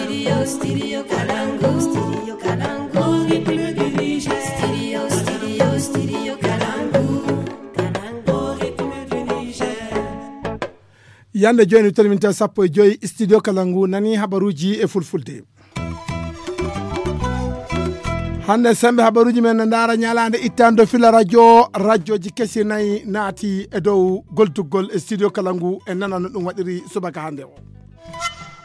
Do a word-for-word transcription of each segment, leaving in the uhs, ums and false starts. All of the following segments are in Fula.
Studio, studio Kalangu, studio Kalangu, rythme du Niger. Studio, studio, studio Kalangu, Kalangu, rythme du Niger. Yande jooni, mi tolminta sappo e joyi studio Kalangu, nani habaruuji e fulfulde. Hannde sembe habaruuji men no ndaara ñalaande ittande fila radio, radioji kesi nayi naati e dow goldugol e studio Kalangu e nanano ɗum waɗiri subaka hannde o.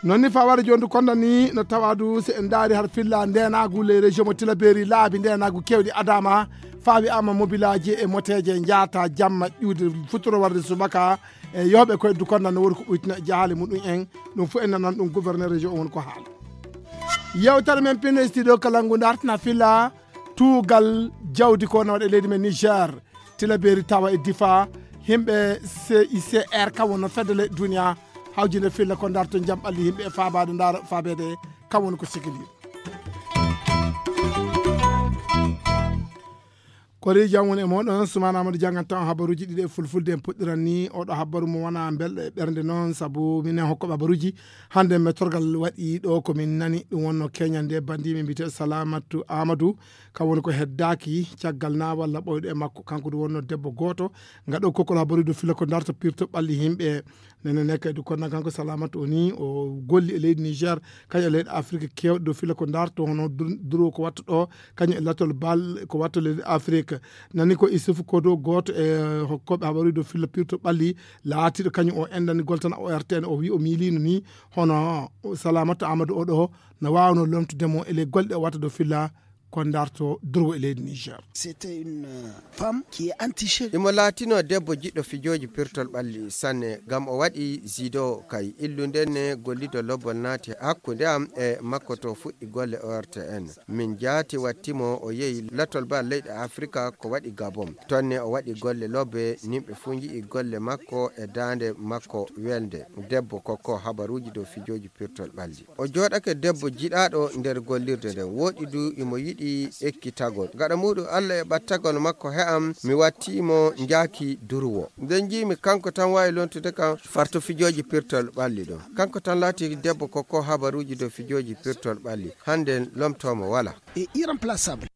Noon ni faware jondu konda ni no tawadu se en ndaari har filla ndenaagu les régions mo tilaberi laabi ndenaagu kewɗi adama faawi ama mobilaaji e moteeje njaata jamma ƴuude futuro warde subaka e yooɓe koye dukonda no woni ko ɓuytina e jahaale muɗum en. Ɗum fof en nanan ɗum gouverneur région on ko haala. Yewtere men pinno e studio Kalangu dartina filla tuugal jawdi ko na waɗa e leydi men Niger, tilaberi tawa e difa. Himɓe C I C R kam wonno fedde leyɗe duniya hawjinde filla ko darto jam ɓalli himɓe e fabade ndaro fabede kam woni ko sikili. Kori jam woni e moɗon sumana amadou jangan tan habaruji ɗiɗi e fulfulde en puɗɗiran ni oɗo habaru mo wona belɗo e ɓernde noon saabu minen hokkoɓe habaruji. Hannde mettorgal waɗi ɗo ko min nani ɗum wonno keñal nde bandiɓe mbiyete salamatu amadou, kam woni ko heddaaki caggal na walla ɓoyɗo e makko kanko ɗum wonno debbo gooto. Ngaɗo kokkol habaruji ɗo fila ko darto pirto ɓalli yimɓe. Nene ne kadi konna kanko salamatu o ni o golli e leydi niger, kañum e leyɗe afrique kewɗe ɗo fila ko darto hono duro ko watta ɗo, kañum e latol bal ko watta leydi afrique. Nani ko isufu kodo gooto e hokkoɓe habaruji ɗo fila pirto ɓalli laatiɗo kañum o endanigol tan o rtn o wi o miilino ni hono salamatu amadou oɗo no wawno lomtudemo e ley golle ɗe o watta ɗo filla ko darto durwo e leydi niger. C'était une femme qui est entichée. Imo laatino debbo jiɗɗo fijooji pirtol ɓalli sanne ngam o waɗi zido kay illu nden ne gollido lobbol naati hakkunde am e makko to fuɗɗi golle ortn. Min jaati wattimo o yehi latol ba leyɗe afrika ko waɗi gabon tonne o waɗi golle lobbe nimɓe fuu nji'i golle makko e daande makko welde. Debbo kokko habaruuji dow fijooji pirtol ɓalli. O jooɗake debbo jiɗaaɗo nder gollirde nden, wooɗi du imo yiɗi ekkitagol. Gaɗa muuɗum, Allah e ɓattagol makko he'am, mi wattii mo njaaki durwo. Nden njiimi kanko tan waawi lontude kam farto fijooji pirtol ɓalli ɗum. Kanko tan laati debbo kokko habaruuji dow fijooji pirtol ɓalli. Hannde lomtoomo walaa. Et irremplaçable.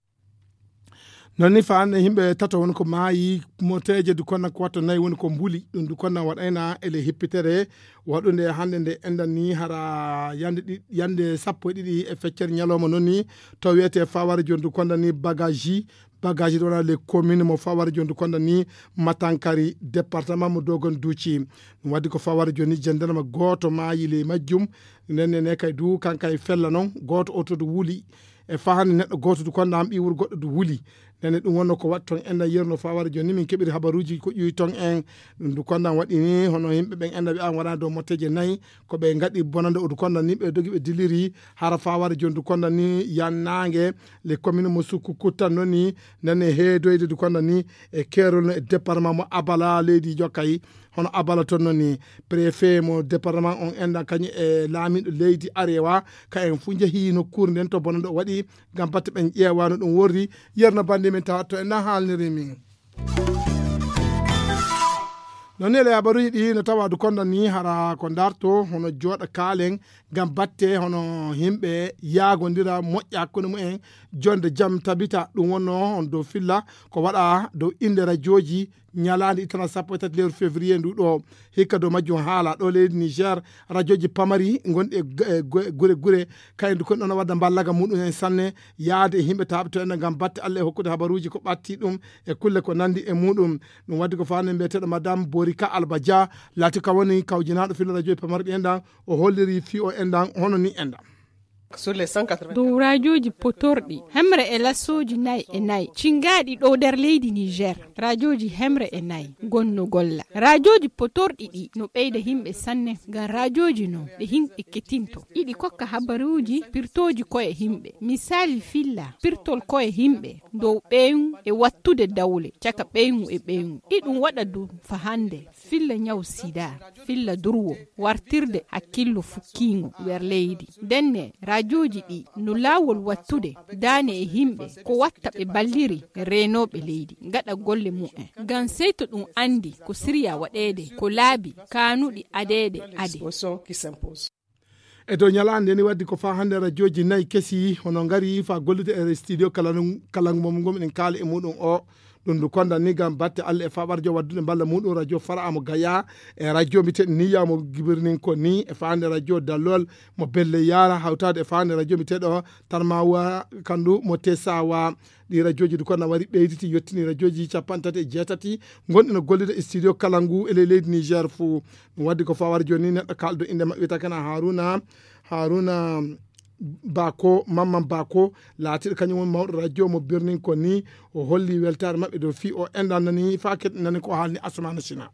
Noon ni faande yimɓe tato woni ko maayi moteeje du konna ko watto nayi woni ko mbuli ɗum du konna waɗayna ele hippitere waɗunde hannde nde endan ni hara yande ɗi yande sappo e ɗiɗi e feccere ñalawma noon ni to wiyete faware joni du konna ni bagaji bagaji ɗo wona les commune mo faware joni du konna ni matankari département mo dogon duuci. Ɗum waddi ko faware joni ni jandarma gooto maayi ley majjum. Nden ne kay du kankay fella noon gooto oto du wuli e fahani neɗɗo gooto du konda am ɓiwur goɗɗo du wuli. Nene ɗum wonno ko waɗi toon enɗan yerno faware joni ni min keɓiri habaruuji ko ƴuwi toon en. Ɗum du kondan waɗi ni hono yimɓe ɓen enɗan ɓe an waɗani dow motteeje nayi ko ɓe ngaɗi bonande o du kondan ni ɓe dogi ɓe diliri hara faware joni du kondan ni yannaange le commune mo sukku kuttan noon ni nene heedoyde du kondan ni e keerol no e département mo abala leydi jokkay. Hono abala toon noon ni préfet mo département on enɗan kañum e laamiɗo leydi arewa ka en fuu njehii nokkuure nden to bonande o waɗi ngam batte ɓen ƴeewa no ɗum worri. Yerno bannde min tawa to en na haalniri min. Noon ni ele habaruuji ɗi no tawa du kondan ni hara ko darto hono jooɗa kaalen ngam batte hono yimɓe yaagondira moƴƴa hakkunde mumen jonde jam tabita ɗum wonno on dow filla ko waɗa dow innde rajooji ñalaande ittana sappo e tati lewru février ndu ɗo. Hikka dow majjum haala ɗo leydi niger rajooji pamari gonɗi e gure gure kayen du kon ɗon wadda mballaga muɗum en sanne yaade e yimɓe taaɓe to enen ngam batte allah e hokkude habaruuji ko ɓatti ɗum e kulle ko nandi e muɗum. Ɗum waddi ko fawde mbiyeteeɗo madame borika alba dia laati ka woni kawjinaaɗo filo rajooji pamarɗi enɗan o holliri fii o enɗan hono ni enɗan. Dow raajooji potorɗi hemre e lasooji nayi e nayi cingaaɗi ɗo nder leydi niger raajooji hemre e nayi gonno golla raajooji potorɗi ɗi no ɓeyda yimɓe sanne ngam raajooji no ɗe yimɓe ketinto iɗi kokka habaruuji pirtooji koye yimɓe misaali filla pirtol koye yimɓe dow ɓeyngu e wattude dawle caka ɓeyngu e ɓeyngu iɗum waɗa ɗum fa hannde filla ñaw sida filla durwo wartirde hakkillo fukkiingo nder leydi ndenne raajooji ɗi no laawol wattude daane e yimɓe ko watta ɓe balliri reenooɓe leydi ngaɗa golle mumen ngam sey to ɗum anndi ko sirya waɗeede ko laabi kaanuɗi adeede ade. E dow ñalaande ni waddi ko faa hannde rajooji nayi kesi hono ngari faa gollude e studio kala kalangu mo ngomɗen kaala e muɗum o. Ɗum ndu konda ni ngam batte Allah e faɓarjo waddude mballa muɗum radio fara mo gaya e radio mbiteɗo niya mo gibirnin ko ni e faande radio dallol mo belle yara hawtade e faande radio mbiteɗo tarmawa kandu mo tesawa. Ɗi rajooji du konda wari ɓeyditi yettini rajooji capanɗe tati e jeetati gonɗi no gollude e studio kala ngu e ley leydi Niger fuu. Ɗum waddi ko fawar jooni neɗɗo kalɗo innde maɓɓe wiyata kana Haruna Haruna Bako Mamman Bako laatiɗo kañum woni mawɗo radio mo birnin ko ni o holli weltaare maɓɓe dow fii o enɗan nani faa keɗɗinani ko haalni Asumana Sina.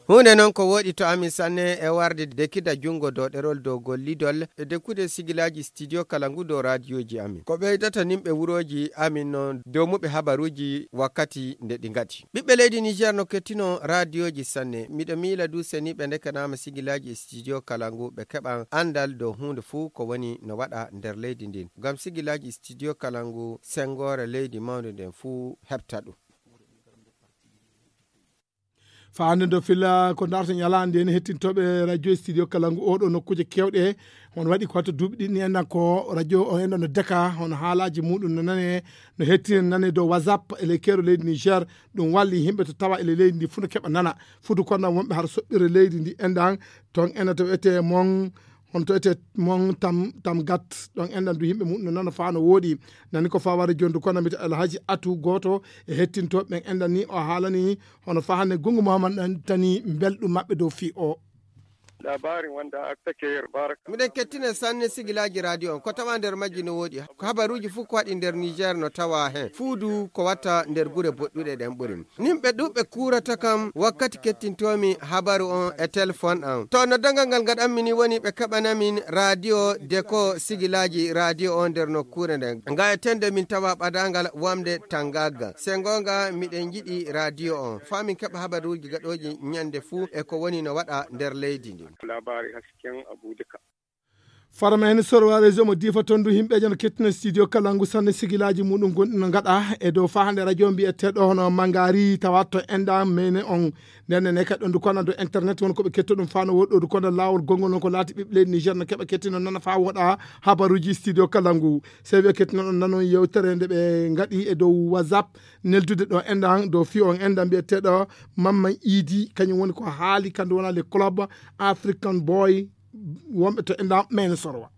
Huunde noon ko wooɗi to amin sanne e warde dekida junngo dow ɗerol dow gollidol e dekkude sigilaaji studio kala ngu dow raadiyooji amin. Ko ɓeydata nimɓe wurooji amin noon dow muɓe habaruuji wakkati nde ɗi ngaɗi. Ɓiɓɓe leydi Niger no kettino raadiyooji sanne. Miɗo miila du seniiɓe ndekanaama sigilaaji e studio kala ngu ɓe keɓan anndal dow huunde fuu ko woni no waɗa nder leydi ndin. Ngam sigilaaji studio kala ngu senngoore leydi mawnde nden fuu heɓta ɗum. Faande ndo fila ko darto ñalaande en hettintooɓe radio studio kala ngu oɗo nokkuuje kewɗe. Hono waɗi ko watta duuɓi ɗiɗi ni enɗan ko radio o enɗan no deka hono haalaaji muɗum no nane no hettine nane dow whatsapp e ley keero leydi Niger. Ɗum walli yimɓe to tawa e ley leydi ndi fuu no keɓa nana fudu konɗan wonɓe har soɓɓire leydi ndi enɗan ton ena to wiyetee mon hono to wiyetee mon tam tam gat ɗon enɗan du yimɓe muɗum no nana faa no wooɗi. Nani ko faware jondu kono mbiyata alhaji atu gooto e hettintooɓe ɓen enɗan ni o haalani hono faa hannde gungu muhammad ɗan tani mbelɗum maɓɓe dow fii o. Labarin wanda aka take yer baraka. Miɗen kettine sanne sigilaaji radio on ko tawa nder majji no wooɗi ko habaruuji fof ko waɗi nder Niger no tawa heen fuudu ko watta nder gure boɗɗuɗe ɗen ɓuri. Nimɓe ɗuɓɓe kuurata kam wakkati kettintoomi habaru on e telefon am. To noddangal ngal ngaɗanmi ni woni ɓe keɓanamin radio deko sigilaaji radio on nder nokkuure nden. Nga e tende min tawa ɓadaangal wamde tangagga. Se ngoonga miɗen njiɗi radio on. Faa min keɓa habaruuji gaɗooji ñande fuu e ko woni no waɗa nder leydi ndin. Labari hasken Abuja ka. Farma en sorwa réseau mo difa tondu himɓe jano kettina studio kala ngu sanne sigilaji muɗum gonɗi no gaɗa e dow fahande radio mbiyeteɗo hono mangari tawa to enɗa mene on. Nden ne kadi ɗon du kono do internet won ko ɓe ketto ɗum fano woɗɗo du kono lawol gongol non ko laati ɓiɓɓe leydi Niger no keɓa kettino nana fa woɗa habaruji studio kala ngu. Sewi kettino ɗon nanon yewtere nde ɓe gaɗi e dow whatsapp neldude ɗo enɗan dow fi on enɗan mbiyeteɗo mamma idi kañum woni ko haali kandu wona le club african boy wonɓe to enɗan mene sorwa.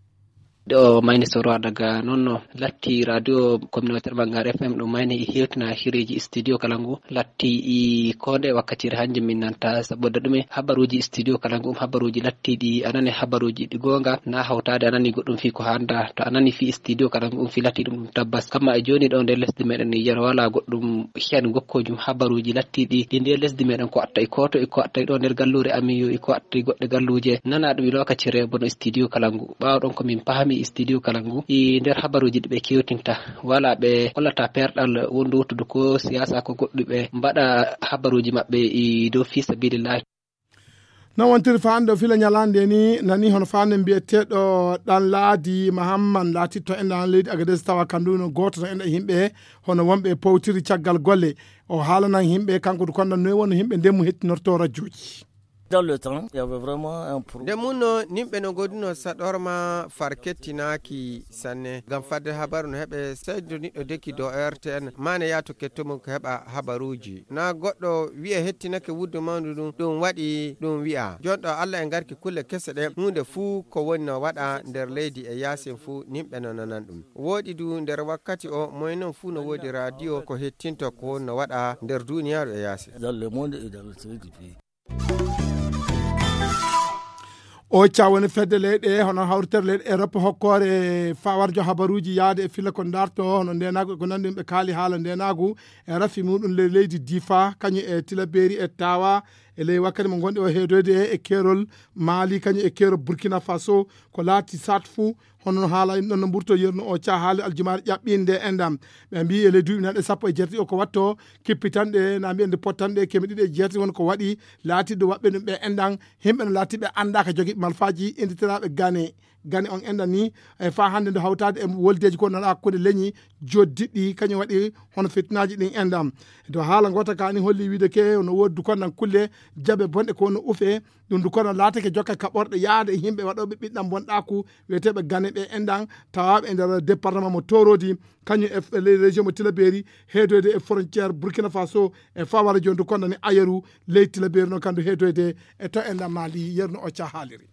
Ɗo mayni sorwa daga noon no latti radio communautaire bangar fm ɗum mayni hewtina hireji studio kala ngu latti i konde wakkatire hanje min nanta saboda ɗume habaruji studio kala ngu um habaruji lattiɗi anani habaruji ɗi gonga na hawtade anani goɗɗum fi ko handa to anani fi studio kala ngu um fi latti ɗum ɗum tabbas kamma e joni ɗo nder lesdi meɗen niger wala goɗɗum hen gokkojum habaruji lattiɗi ɗi nder lesdi meɗen ko atta e koto e ko atta e ɗo nder gallure amin yo e ko atta e goɗɗe galluje nana ɗum e lokaci rebo no studio kala ngu ɓawa ɗon komin pahami studio kala ngu e nder habaruji ɗi ɓe kewtinta wala ɓe hollata perɗal wondu wottudu ko siyasa ko goɗɗuɓe mbaɗa habaruji maɓɓe e dow fi sabilillahi. No wontiri fa anndo fila ñalande ni nani hono fa nde mbiyeteɗo ɗan laadi mahamman laatitto enɗan leydi agades tawa kandu no gooto no enɗan yimɓe hono wonɓe powtiri caggal golle o haalanan yimɓe kanko du konɗan noy wonno yimɓe ndemmu hettinorto rajooji. Dans le temps, il y avait vraiment un problème. Nde munno nimɓe no goduno saɗorma far kettinaaki sanne ngam fadde habaru no heɓe saydo niɗɗo deki do rtn mane yaato kettomum ko heɓa habaruuji na goɗɗo wiya hettinake wuddu mawndu ndun ɗum waɗi ɗum wiya jonɗo allah e ngarki kulle kese ɗen huunde fuu ko woni no waɗa nder leydi e yaasin fuu nimɓe no nanan ɗum. Wooɗi du nder wakkati o moye non fuu no woodi radio ko hettinto ko woni no waɗa nder duuniyaaru e yaasin. Dans le monde et dans le pays. O cawani fedde leyɗe hono hawritere leyɗe europe hokkoore fawarjo habaruji yaade e fila ko darto hono ndenagu e ko nandi ɓe kaali haala ndenagu e rafi muɗum ley leydi difa kañum e tilaberi e tawa e ley wakkati mo gonɗi o heedoyde e kerol mali kañum e kerol burkina faso ko laati sat fou. Hono no haala ɗon no mburto yerno o ca haali aljumaare ƴaɓɓinde e ndam ɓe mbi e ley duuɓi nanɗe sappo e jeetati o ko watto kippitanɗe na mbiyen nde pottanɗe keme ɗiɗi e jeetati woni ko waɗi laatiɗo waɓɓe ɗum ɓe enɗan. Himɓe no laatiɓe annda ka jogiɓe malfaji inditiraɓe gane gane on enɗan ni e fa hannde nde hawtade e woldeji ko nana hakkude leñi joddiɗɗi kañum waɗi hono fitnaji ɗin enɗan. To haala gota kani holli wiide ke no woddu konnan kulle Jaɓe bonɗe ko no ufe, ɗum du kono laatake jokka kaɓorɗe yaade e yimɓe waɗooɓe ɓiɗɗam bonɗaaku, wiyeteeɓe gane ɓe enɗan, tawaaɓe e nder département mo Torodi, kañum e f-, les régions mo Tilaberi, heedoyde e frontière Burkina Faso, e fawara jooni du kono ni Ayeru, ley Tilaberi noon kandu heedoyde e to enɗan Mali, yerno o ca haaliri.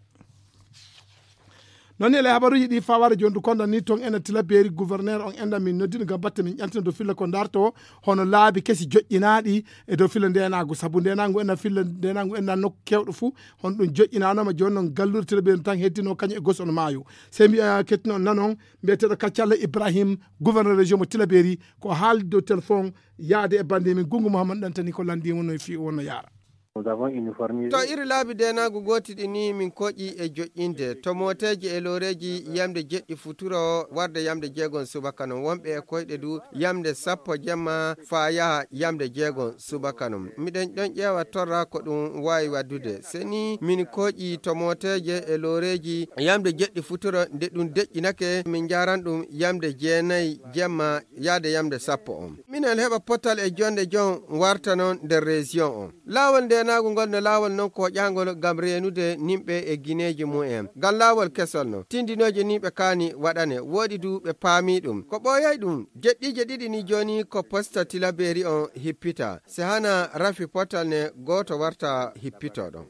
Noon ni e ley habaruuji ɗi fawara jooni du kono ni toon ena Tilaberi, gouverneur on enɗan min noddino ngam batte min ƴantina dow filla ko darto, hono laabi kesi joƴƴinaaɗi e dow filla ndenaagu, sabu ndenaagu ena filla ndenaagu ena nokku kewɗo fuu, hono ɗum joƴƴinaanoma jooni noon galluure Tilaberi tan heddino kañum e Gosono Maayo. Sey mbiya kettino nanon mbiyeteeɗo Kaccalla Ibrahim, gouverneur région mo Tilaberi, ko haaldi dow téléphone yaade e bannde min Gungu Mouhammad Dantani ko lanndii wonno e fii wonno yaara. To iri laabi ndenaagu gooti ɗi ni min koƴi e joƴƴinde. To mooteeji e looreeji yamde jeɗɗi futuro warde yamde jeegon subaka non. Wonɓe e koyɗe du yamde sappo jemma faa yaha yamde jeegon subaka non. Miɗen ɗon ƴeewa torra ko ɗum waawi waddude. Se ni min koƴi to mooteeje e looreeji yamde jeɗɗi futuro nde ɗum deƴƴinake, min njaaran ɗum yamde jeenayi jemma yaade yamde sappo on. Minen heɓa potal e jonde jon warta non nder région on. Laawol ndeenaagu ngol no laawol non koƴaangol ngam reenude nimɓe e gineeji mumen. Ngam laawol kesol non, tindinooje ni ɓe kaani waɗane, woɗi du ɓe paamii ɗum. Ko ɓooyay ɗum, jeɗɗiije ɗiɗi ni jooni ko posta Tilaberi on hippita. Se hana rafi potal ne gooto warta hippitoo ɗon.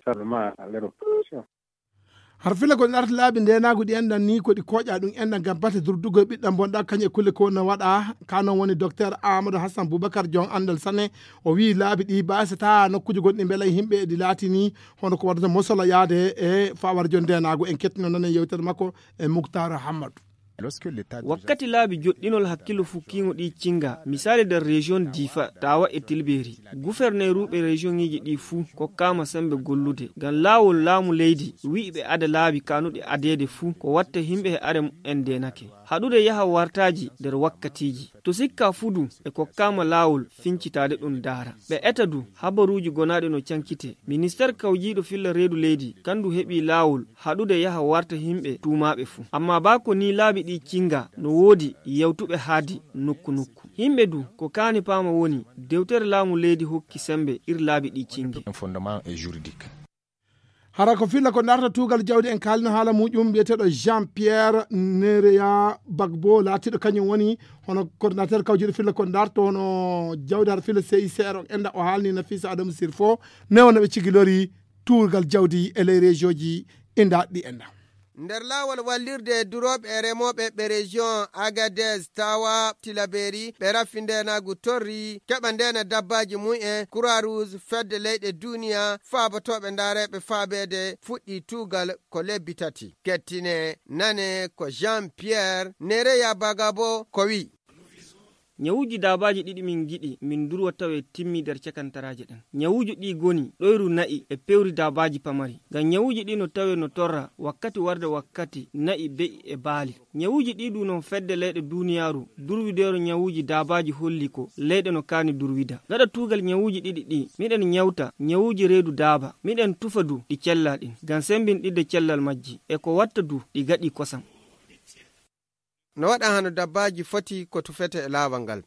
Har filla ko ɗi arta laabi ndeenaagu ɗi enɗan ni ko ɗi koƴa ɗum enɗan ngam batte durdugol ɓiɗɗam bonɗa kañum e kulle ko no waɗa. Ka noon woni Docteur Amadou Hassan Boubacar, jon anndal sanne. O wiyi laabi ɗi baasata nokkuuji gonɗi mbela e yimɓe ɗi laatini hono ko waɗata mosola yaade e fawara jon ndeenaagu. En kettino nanen yewtere makko e Muktar Hammadou. Wakkati laabi joɗɗinol hakkillo fukkiingo ɗi cinga, misaali nder région Difa, Tawa e Tilberi. Guferneeruuɓe région ŋiiji ɗi fuu kokkaama sembe gollude. Ngam laawol laamu leydi, wi'i ɓe ada laabi kaanuɗi adeede fuu, ko watta himɓe he are mu'en ndeenake. Haɗude yaha wartaaji nder wakkatiiji. To sikka fuu du, e kokkaama laawol fincitaade ɗum daara. Ɓe eta du, habaruuji gonaaɗi no cankite. Ministeer kawjiiɗo filla reedu leydi, kandu heɓi laawol haɗude yaha warta himɓe tuumaaɓe fuu. Amma baa ko nii laabi ɗi cinga, no woodi yewtuɓe haadi nokku nokku. Himɓe du, ko kaani paama woni, dewtere laamu leydi hokki sembe ir laabi ɗi cingi. Hara ko filla ko darta tuugal jawdi en kaalino haala muƴum, mbiyeteeɗo Jean Pierre Nereya Bagbo, laatiiɗo kañum woni hono coordinateur kawjiiɗo filla ko darto hono jawdi har filla C I C R on enda o haalni Nafisa Adamu Sirfo, newo no ɓe cigilori tuugal jawdi e ley région ji indaɗi ɗi enda. Nder laawol wallirde durooɓe e remooɓe ɓe région Agadez, Tawa, Tilaberi, ɓe raffi ndeenaagu torri, keɓa ndeena dabbaaji mum en, Croix Rouge, fedde leyɗe duniya, faabotooɓe ndaareeɓe faabeede fuɗɗi tuugal ko lebbi tati. Kettine, nane ko Jean Pierre Nereya Bagabo ko wi. Ñawuuji daabaaji ɗiɗi min ngiɗi min ndurwa tawe timmi nder cakantaraaje ɗen. Ñawuuji ɗi goni ɗoyru na'i e pewri daabaaji pamari. Ngam ñawuuji ɗi no tawe no torra wakkati warde wakkati na'i, be'i e baali. Ñawuuji ɗi du non fedde leyɗe duuniyaaru durwideero ñawuuji daabaaji holli ko leyɗe no kaani durwida. Gaɗa tuugal ñawuuji ɗiɗi ɗi, miɗen ñawta ñawuuji reedu daaba. Miɗen tufa du ɗi cella ɗin, ngam sembinɗidde cellal majji. E ko watta du ɗi gaɗi kosam. No waɗa hano dabbaaji foti ko tufete e laawol ngal.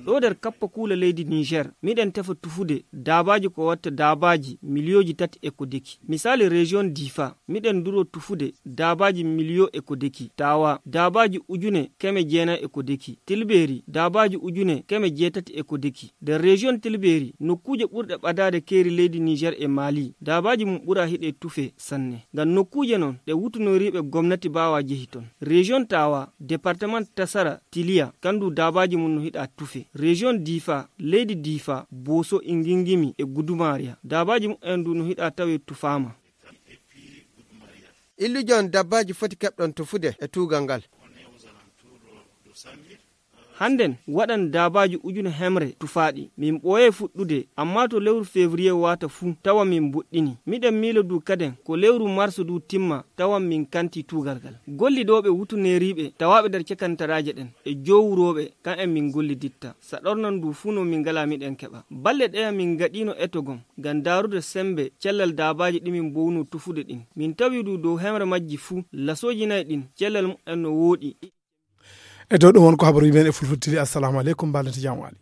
Ɗo nder kappa kuula leydi Niger, miɗen tefa tufude daabaaji ko watta daabaaji miliyooji tati e ko deki. Misaali, région Difa, miɗen nduro tufude daabaaji miliyo e ko deki. Tawa, daabaaji ujune keme jeenayi e ko deki. Tilberi, daabaaji ujune keme jeetati e ko deki. Nder région Tilberi, nokkuuje ɓurɗe ɓadaade keeri leydi Niger e Mali, daabaaji mum ɓura hiɗe tufe sanne. Ngam nokkuuje non ɗe wutunoriiɓe gomnati baawa jehi ton. Région Tawa, département Tasara, Tiliya, kandu daabaaji mum no hiɗa tufe. Région Difa, leydi Difa, Boso, Ingingimi e Gudumariya, daabaaji mumen du no hiɗa tawe tufaama. Illujon dabbaaji foti keɓɗon tufude e tuugal ngal. Hannden waɗan daabaaji ujune hemre tufaaɗi. Min ɓooyay fuɗɗude, amma to lewru février waata fuu, tawa min mbuɗɗini. Miɗen miilo du kaden ko lewru mars du timma, tawan min kanti tuugal ngal. Gollidooɓe wutuneeriiɓe tawaaɓe nder cakantaraaje ɗen e joowurooɓe, kan en min golliditta. Saɗornan du fuu no min ngalaa miɗen keɓa. Balɗe ɗeya min ngaɗiino etogon ngam daarude sembe cellal daabaaji ɗi min mbowno tufude ɗin. Min tawi du dow hemre majji fuu, lasooji nayi ɗin, cellal mumen no wooɗi. E dow ɗum won ko habaruuji men e Fulfulde T V. Assalamu aleykum, mbaɗen jam waali.